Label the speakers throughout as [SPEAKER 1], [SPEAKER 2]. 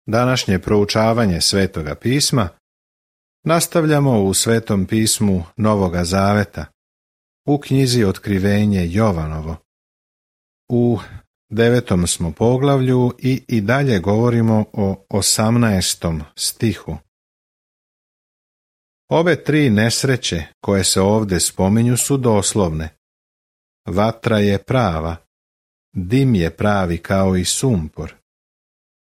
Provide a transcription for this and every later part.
[SPEAKER 1] Današnje proučavanje Svetoga pisma nastavljamo u Svetom pismu Novoga Zaveta, u knjizi Otkrivenje Jovanovo. U 9. smo poglavlju i dalje govorimo o 18. stihu. Ove tri nesreće koje se ovdje spominju su doslovne. Vatra je prava, dim je pravi kao i sumpor.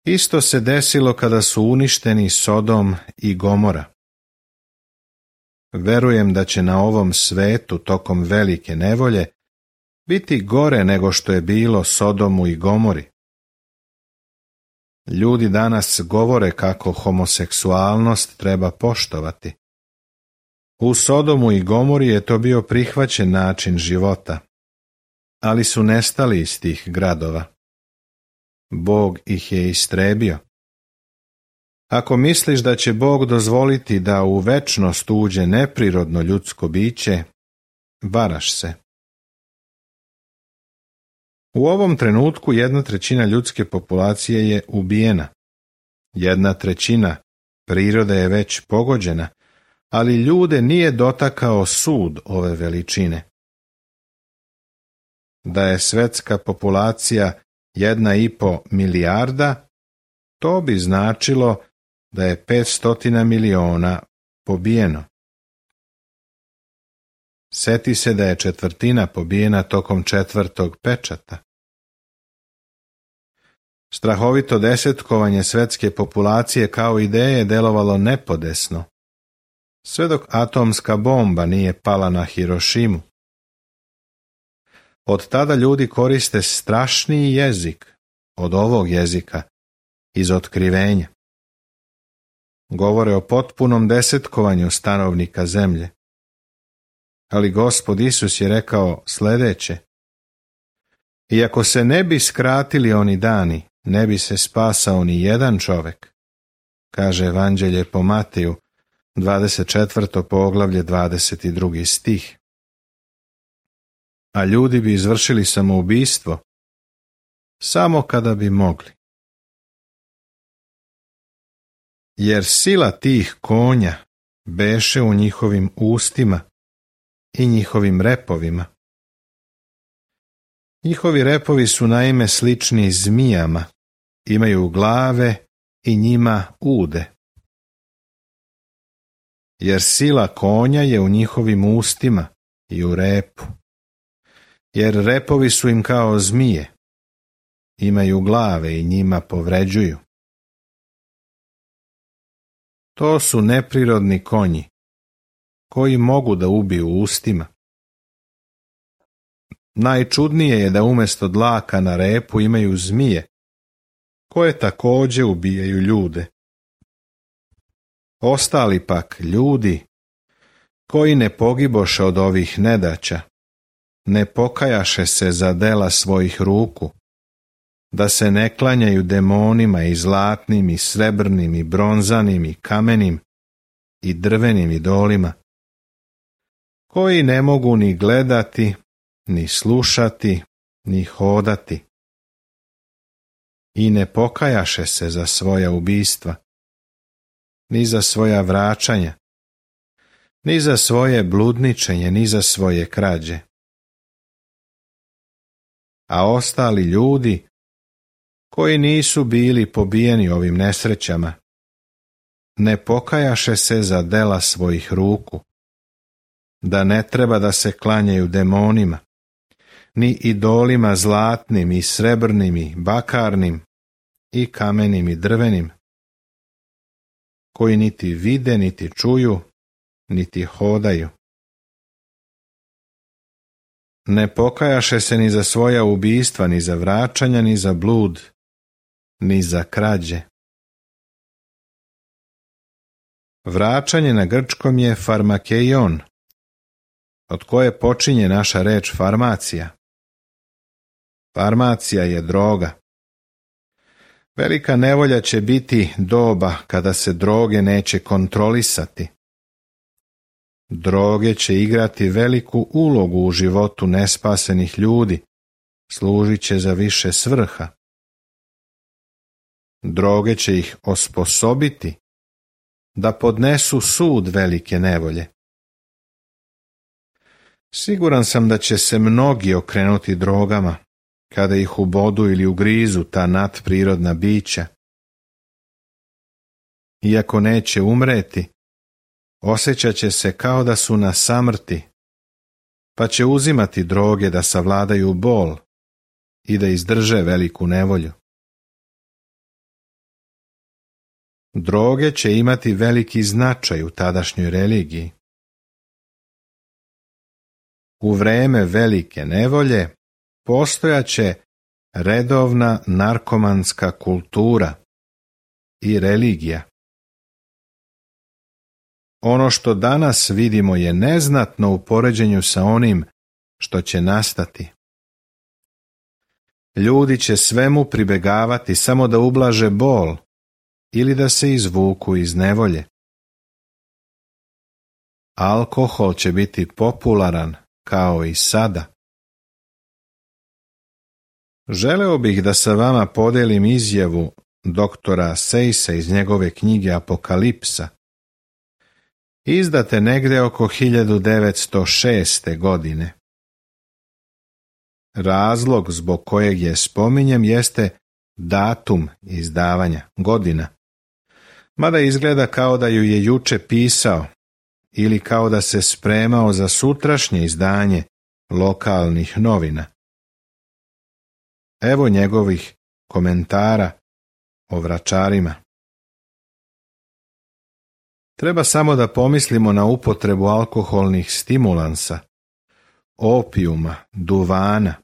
[SPEAKER 1] Isto se desilo kada su uništeni Sodom i Gomora. Verujem da će na ovom svetu tokom velike nevolje biti gore nego što je bilo Sodomu i Gomori. Ljudi danas govore kako homoseksualnost treba poštovati. U Sodomu i Gomori je to bio prihvaćen način života, ali su nestali iz tih gradova. Bog ih je istrebio. Ako misliš da će Bog dozvoliti da u večnost uđe neprirodno ljudsko biće, varaš se. U ovom trenutku 1/3 ljudske populacije je ubijena. 1/3 prirode je već pogođena, ali ljude nije dotakao sud ove veličine. Da je svetska populacija 1,5 milijarda, to bi značilo da je 500 miliona pobijeno. Seti se da je 1/4 pobijena tokom 4. pečata. Strahovito desetkovanje svetske populacije kao ideje je delovalo nepodesno, sve dok atomska bomba nije pala na Hirošimu. Od tada ljudi koriste strašniji jezik od ovog jezika iz Otkrivenja. Govore o potpunom desetkovanju stanovnika zemlje. Ali Gospod Isus je rekao sljedeće: iako se ne bi skratili oni dani, ne bi se spasao ni jedan čovjek, kaže Evanđelje po Mateju, 24. poglavlje, 22. stih. A ljudi bi izvršili samoubistvo samo kada bi mogli. Jer sila tih konja beše u njihovim ustima i njihovim repovima. Njihovi repovi su naime slični zmijama, imaju glave i njima ude. Jer sila konja je u njihovim ustima i u repu. Jer repovi su im kao zmije, imaju glave i njima povređuju. To su neprirodni konji, koji mogu da ubiju ustima. Najčudnije je da umjesto dlaka na repu imaju zmije, koje također ubijaju ljude. Ostali pak ljudi, koji ne pogiboše od ovih nedaća, ne pokajaše se za dela svojih ruku, da se ne klanjaju demonima i zlatnim i srebrnim i bronzanim i kamenim i drvenim idolima, koji ne mogu ni gledati, ni slušati, ni hodati. I ne pokajaše se za svoja ubistva, ni za svoja vraćanja, ni za svoje bludničenje, ni za svoje krađe. A ostali ljudi, koji nisu bili pobijeni ovim nesrećama, ne pokajaše se za dela svojih ruku, da ne treba da se klanjaju demonima, ni idolima zlatnim i srebrnim i bakarnim i kamenim i drvenim, koji niti vide, niti čuju, niti hodaju. Ne pokajaše se ni za svoja ubistva, ni za vraćanja, ni za blud, ni za krađe. Vraćanje na grčkom je farmakeion, od koje počinje naša reč farmacija. Farmacija je droga. Velika nevolja će biti doba kada se droge neće kontrolisati. Droge će igrati veliku ulogu u životu nespasenih ljudi, služit će za više svrha. Droge će ih osposobiti da podnesu sud velike nevolje. Siguran sam da će se mnogi okrenuti drogama kada ih ubodu ili ugrizu ta nadprirodna bića. Iako neće umreti, osjećat će se kao da su na samrti, pa će uzimati droge da savladaju bol i da izdrže veliku nevolju. Droge će imati veliki značaj u tadašnjoj religiji. U vreme velike nevolje postojaće redovna narkomanska kultura i religija. Ono što danas vidimo je neznatno u poređenju sa onim što će nastati. Ljudi će svemu pribegavati samo da ublaže bol ili da se izvuku iz nevolje. Alkohol će biti popularan kao i sada. Želeo bih da sa vama podelim izjavu doktora Sejsa iz njegove knjige Apokalipsa, izdate negde oko 1906. godine. Razlog zbog kojeg je spominjem jeste datum izdavanja, godina, mada izgleda kao da ju je juče pisao ili kao da se spremao za sutrašnje izdanje lokalnih novina. Evo njegovih komentara o vračarima. Treba samo da pomislimo na upotrebu alkoholnih stimulansa, opijuma, duvana,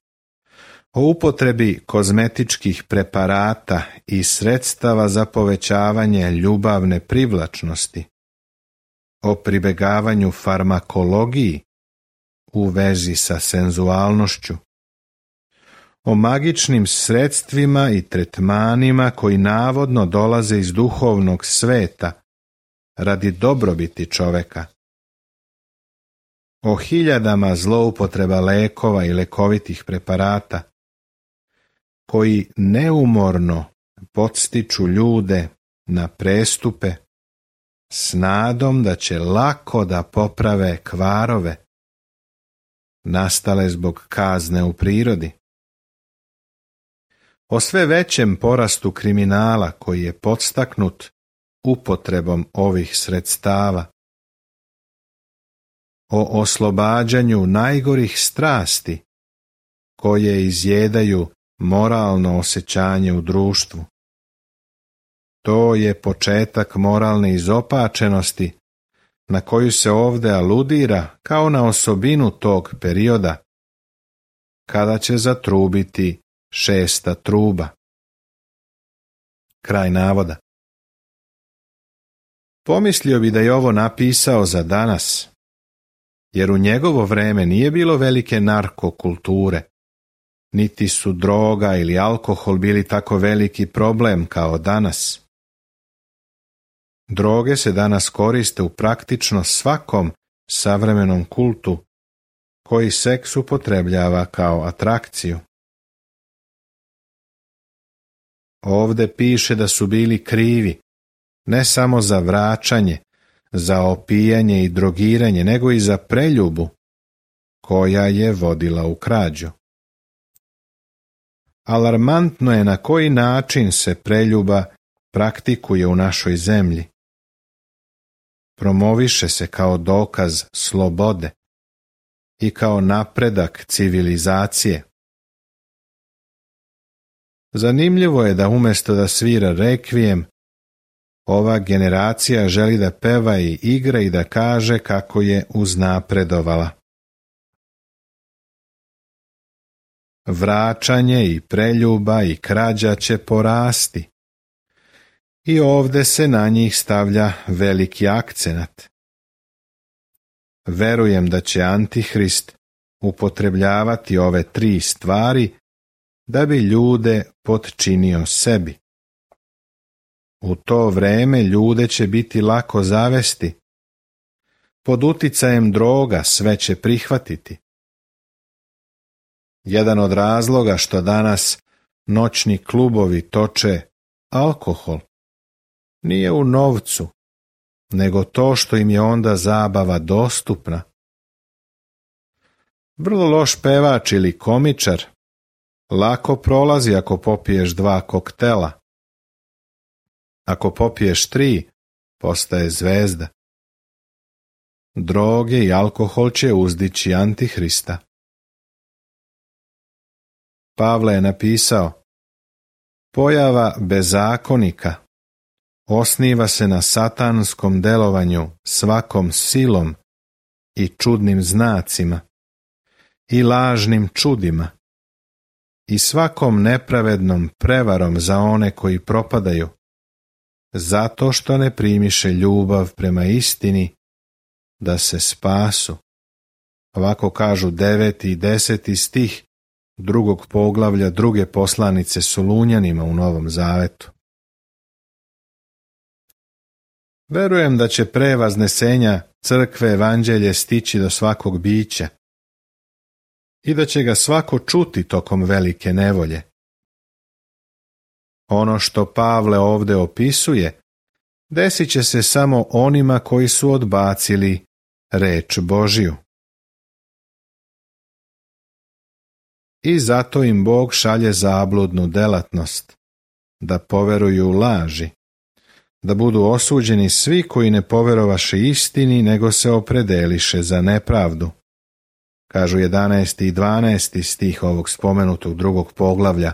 [SPEAKER 1] o upotrebi kozmetičkih preparata i sredstava za povećavanje ljubavne privlačnosti, o pribegavanju farmakologiji u vezi sa senzualnošću, o magičnim sredstvima i tretmanima koji navodno dolaze iz duhovnog sveta radi dobrobiti čoveka, o hiljadama zloupotreba lekova i lekovitih preparata koji neumorno podstiču ljude na prestupe s nadom da će lako da poprave kvarove nastale zbog kazne u prirodi, o sve većem porastu kriminala koji je podstaknut upotrebom ovih sredstava, o oslobađanju najgorih strasti koje izjedaju moralno osjećanje u društvu. To je početak moralne izopačenosti na koju se ovdje aludira kao na osobinu tog perioda kada će zatrubiti 6. truba. Kraj navoda. Pomislio bi da je ovo napisao za danas, jer u njegovo vreme nije bilo velike narkokulture, niti su droga ili alkohol bili tako veliki problem kao danas. Droge se danas koriste u praktično svakom savremenom kultu koji seks upotrebljava kao atrakciju. Ovde piše da su bili krivi ne samo za vračanje, za opijanje i drogiranje, nego i za preljubu koja je vodila u krađu. Alarmantno je na koji način se preljuba praktikuje u našoj zemlji. Promoviše se kao dokaz slobode i kao napredak civilizacije. Zanimljivo je da umjesto da svira rekvijem, ova generacija želi da peva i igra i da kaže kako je uznapredovala. Vračanje i preljuba i krađa će porasti. I ovde se na njih stavlja veliki akcenat. Verujem da će Antihrist upotrebljavati ove 3 stvari da bi ljude potčinio sebi. U to vreme ljude će biti lako zavesti. Pod uticajem droga sve će prihvatiti. Jedan od razloga što danas noćni klubovi toče alkohol. Nije u novcu, nego to što im je onda zabava dostupna. Vrlo loš pevač ili komičar lako prolazi ako popiješ 2 koktela. Ako popiješ 3, postaje zvezda. Droge i alkohol će uzdići Antihrista. Pavle je napisao: pojava bezakonika osniva se na satanskom delovanju svakom silom i čudnim znacima i lažnim čudima i svakom nepravednom prevarom za one koji propadaju, zato što ne primiše ljubav prema istini da se spasu. Ovako kažu 9. i 10. stih 2. poglavlja 2. poslanice Solunjanima u Novom Zavetu. Verujem da će pre vaznesenja crkve evanđelje stići do svakog bića i da će ga svako čuti tokom velike nevolje. Ono što Pavle ovdje opisuje desit će se samo onima koji su odbacili reč Božiju. I zato im Bog šalje zabludnu delatnost, da poveruju laži, da budu osuđeni svi koji ne poverovaše istini, nego se opredeliše za nepravdu. Kažu 11. i 12. stih ovog spomenutog 2. poglavlja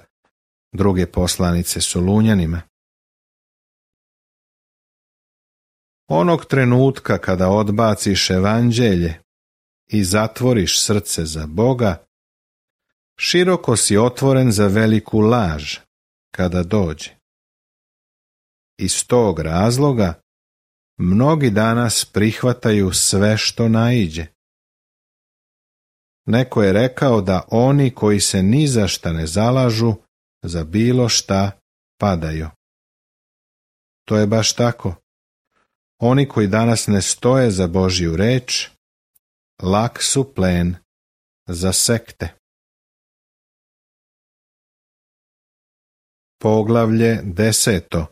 [SPEAKER 1] 2. poslanice Solunjanima. Onog trenutka kada odbaciš evanđelje i zatvoriš srce za Boga, široko si otvoren za veliku laž kada dođe. Iz tog razloga mnogi danas prihvataju sve što naiđe. Neko je rekao da oni koji se ni za šta ne zalažu, za bilo šta padaju. To je baš tako. Oni koji danas ne stoje za Božju reč, lak su plen za sekte. Poglavlje 10.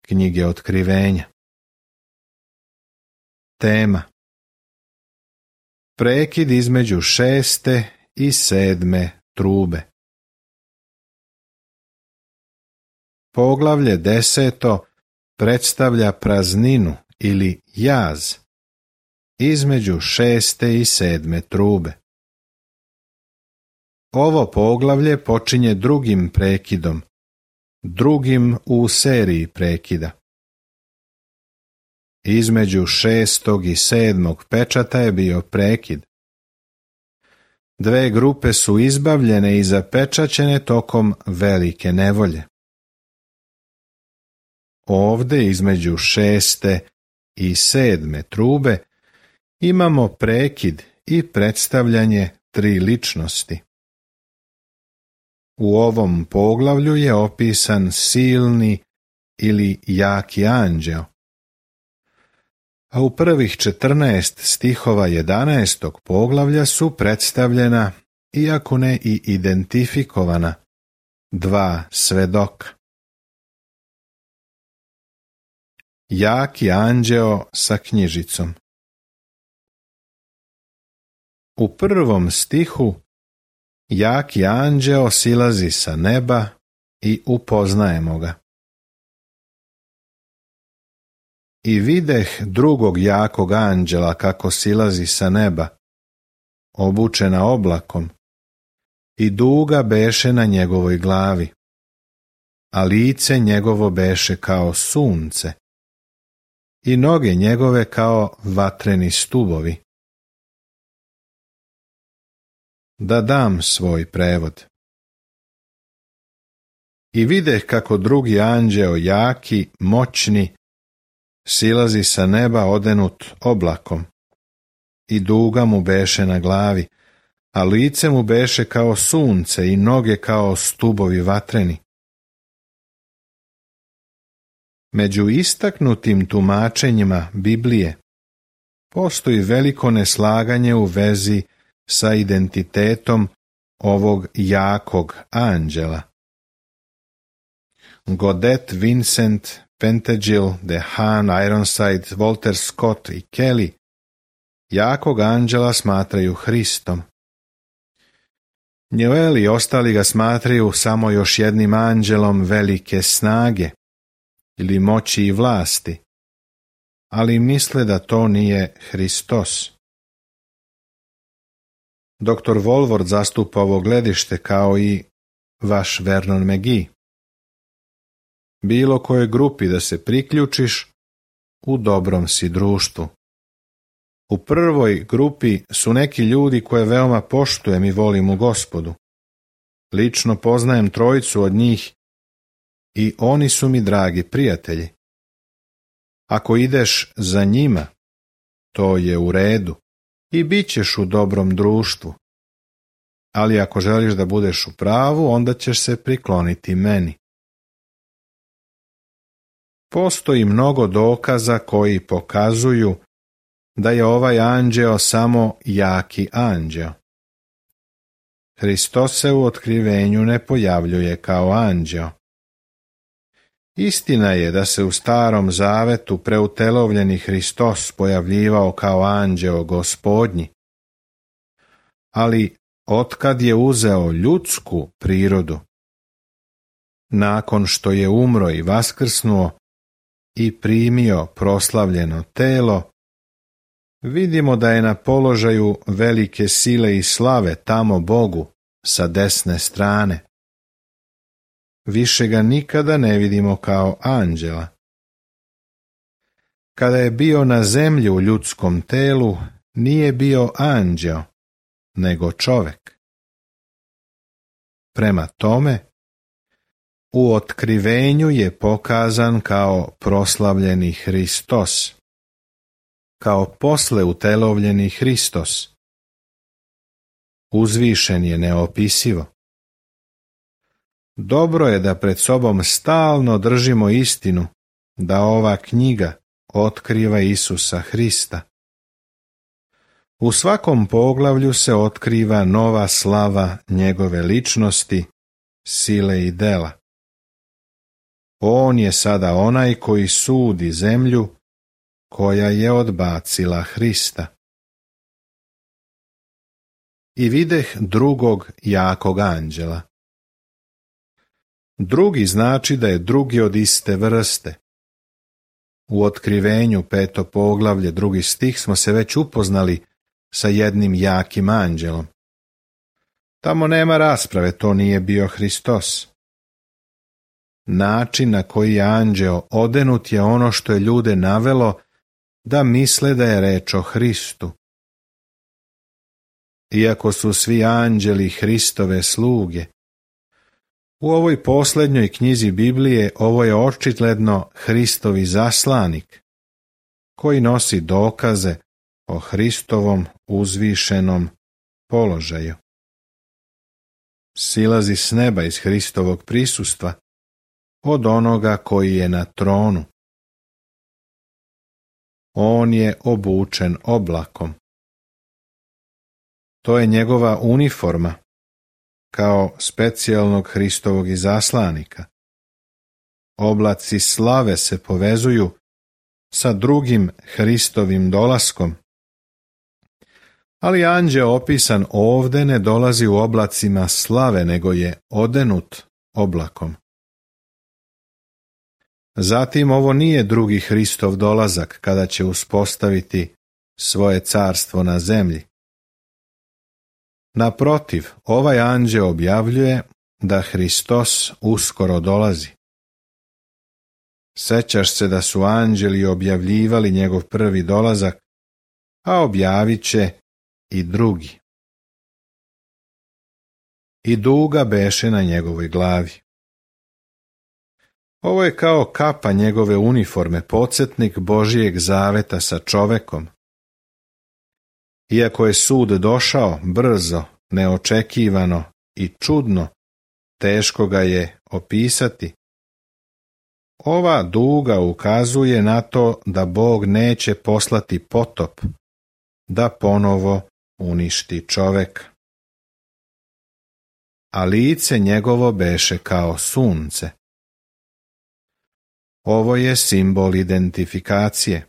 [SPEAKER 1] knjige Otkrivenja. Tema: prekid između 6. i 7. trube. Poglavlje 10. predstavlja prazninu ili jaz između 6. i 7. trube. Ovo poglavlje počinje drugim prekidom, drugim u seriji prekida. Između 6. i 7. pečata je bio prekid. 2 grupe su izbavljene i zapečaćene tokom velike nevolje. Ovdje između 6. i 7. trube imamo prekid i predstavljanje 3 ličnosti. U ovom poglavlju je opisan silni ili jaki anđeo, a u prvih 14 stihova 11. poglavlja su predstavljena, iako ne i identifikovana, 2 svedoka. Jaki anđeo sa knjižicom. U 1. stihu jaki anđeo silazi sa neba i upoznajemo ga. I videh drugog jakog anđela kako silazi sa neba, obučena oblakom, i duga beše na njegovoj glavi, a lice njegovo beše kao sunce, i noge njegove kao vatreni stubovi. Da dam svoj prevod. I videh kako drugi anđeo jaki, moćni, silazi sa neba odenut oblakom, i duga mu beše na glavi, a lice mu beše kao sunce i noge kao stubovi vatreni. Među istaknutim tumačenjima Biblije postoji veliko neslaganje u vezi sa identitetom ovog jakog anđela. Godet, Vincent, Pentagil, Dehan, Ironside, Walter Scott i Kelly jakog anđela smatraju Hristom. Njoel i ostali ga smatraju samo još jednim anđelom velike snage ili moći i vlasti, ali misle da to nije Hristos. Dr. Walvoord zastupa ovo gledište kao i vaš Vernon McGee. Bilo kojoj grupi da se priključiš, u dobrom si društvu. U prvoj grupi su neki ljudi koje veoma poštujem i volim u Gospodu. Lično poznajem trojicu od njih i oni su mi dragi prijatelji. Ako ideš za njima, to je u redu i bit ćeš u dobrom društvu. Ali ako želiš da budeš u pravu, onda ćeš se prikloniti meni. Postoji mnogo dokaza koji pokazuju da je ovaj anđeo samo jaki anđeo. Hristos se u otkrivenju ne pojavljuje kao anđeo. Istina je da se u Starom Zavetu preutelovljeni Hristos pojavljivao kao anđeo Gospodnji, ali otkad je uzeo ljudsku prirodu, nakon što je umro i vaskrsnuo i primio proslavljeno telo, vidimo da je na položaju velike sile i slave tamo Bogu sa desne strane. Više ga nikada ne vidimo kao anđela. Kada je bio na zemlji u ljudskom telu, nije bio anđeo, nego čovek. Prema tome, u otkrivenju je pokazan kao proslavljeni Hristos, kao posle utelovljeni Hristos. Uzvišen je neopisivo. Dobro je da pred sobom stalno držimo istinu, da ova knjiga otkriva Isusa Hrista. U svakom poglavlju se otkriva nova slava njegove ličnosti, sile i dela. On je sada onaj koji sudi zemlju koja je odbacila Hrista. I videh drugog jakog anđela. Drugi znači da je drugi od iste vrste. U otkrivenju 5. poglavlje 2. stih smo se već upoznali sa jednim jakim anđelom. Tamo nema rasprave, to nije bio Hristos. Način na koji je anđeo odenut je ono što je ljude navelo da misle da je reč o Hristu. Iako su svi anđeli Hristove sluge, u ovoj posljednjoj knjizi Biblije ovo je očigledno Hristovi zaslanik, koji nosi dokaze o Hristovom uzvišenom položaju. Silazi s neba iz Hristovog prisustva, od onoga koji je na tronu. On je obučen oblakom. To je njegova uniforma, kao specijalnog Hristovog izaslanika. Oblaci slave se povezuju sa drugim Hristovim dolaskom. Ali anđeo opisan ovde ne dolazi u oblacima slave, nego je odenut oblakom. Zatim ovo nije drugi Hristov dolazak kada će uspostaviti svoje carstvo na zemlji. Naprotiv, ovaj anđeo objavljuje da Hristos uskoro dolazi. Sećaš se da su anđeli objavljivali njegov prvi dolazak, a objavit će i drugi. I duga beše na njegovoj glavi. Ovo je kao kapa njegove uniforme, podsjetnik Božijeg zaveta sa čovekom. Iako je sud došao brzo, neočekivano i čudno, teško ga je opisati. Ova duga ukazuje na to da Bog neće poslati potop, da ponovo uništi čoveka. A lice njegovo beše kao sunce. Ovo je simbol identifikacije.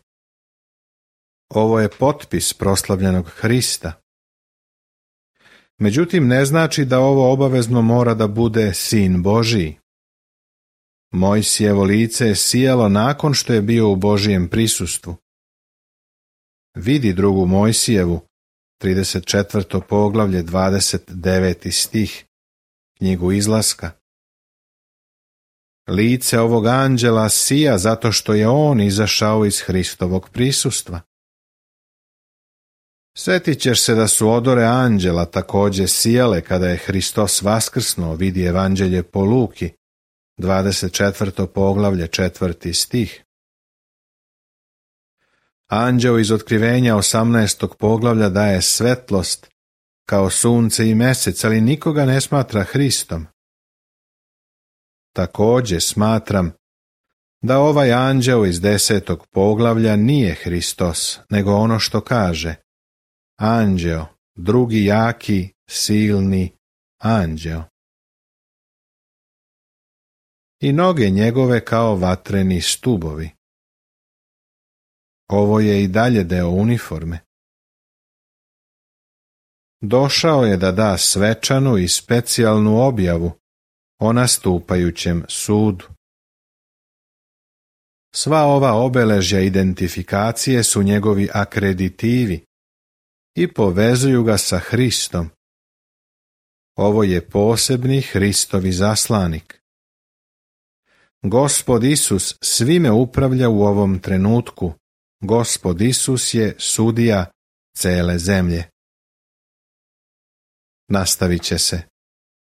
[SPEAKER 1] Ovo je potpis proslavljenog Hrista. Međutim, ne znači da ovo obavezno mora da bude Sin Božiji. Mojsijevo lice je sijalo nakon što je bio u Božijem prisustvu. Vidi 2. Mojsijevu, 34. poglavlje, 29. stih, knjigu Izlaska. Lice ovog anđela sija zato što je on izašao iz Hristovog prisustva. Sjetit ćeš se da su odore anđela također sijale kada je Hristos vaskrsnuo, vidi Evanđelje po Luki, 24. poglavlje, 4. stih. Anđeo iz Otkrivenja 18. poglavlja daje svetlost kao sunce i mesec, ali nikoga ne smatra Hristom. Također smatram da ovaj anđeo iz 10. poglavlja nije Hristos, nego ono što kaže: anđeo, drugi jaki, silni anđeo. I noge njegove kao vatreni stubovi. Ovo je i dalje deo uniforme. Došao je da da svečanu i specijalnu objavu o nastupajućem sudu. Sva ova obeležja identifikacije su njegovi akreditivi i povezuju ga sa Hristom. Ovo je posebni Hristovi zaslanik. Gospod Isus svime upravlja u ovom trenutku. Gospod Isus je sudija cele zemlje. Nastavit će se.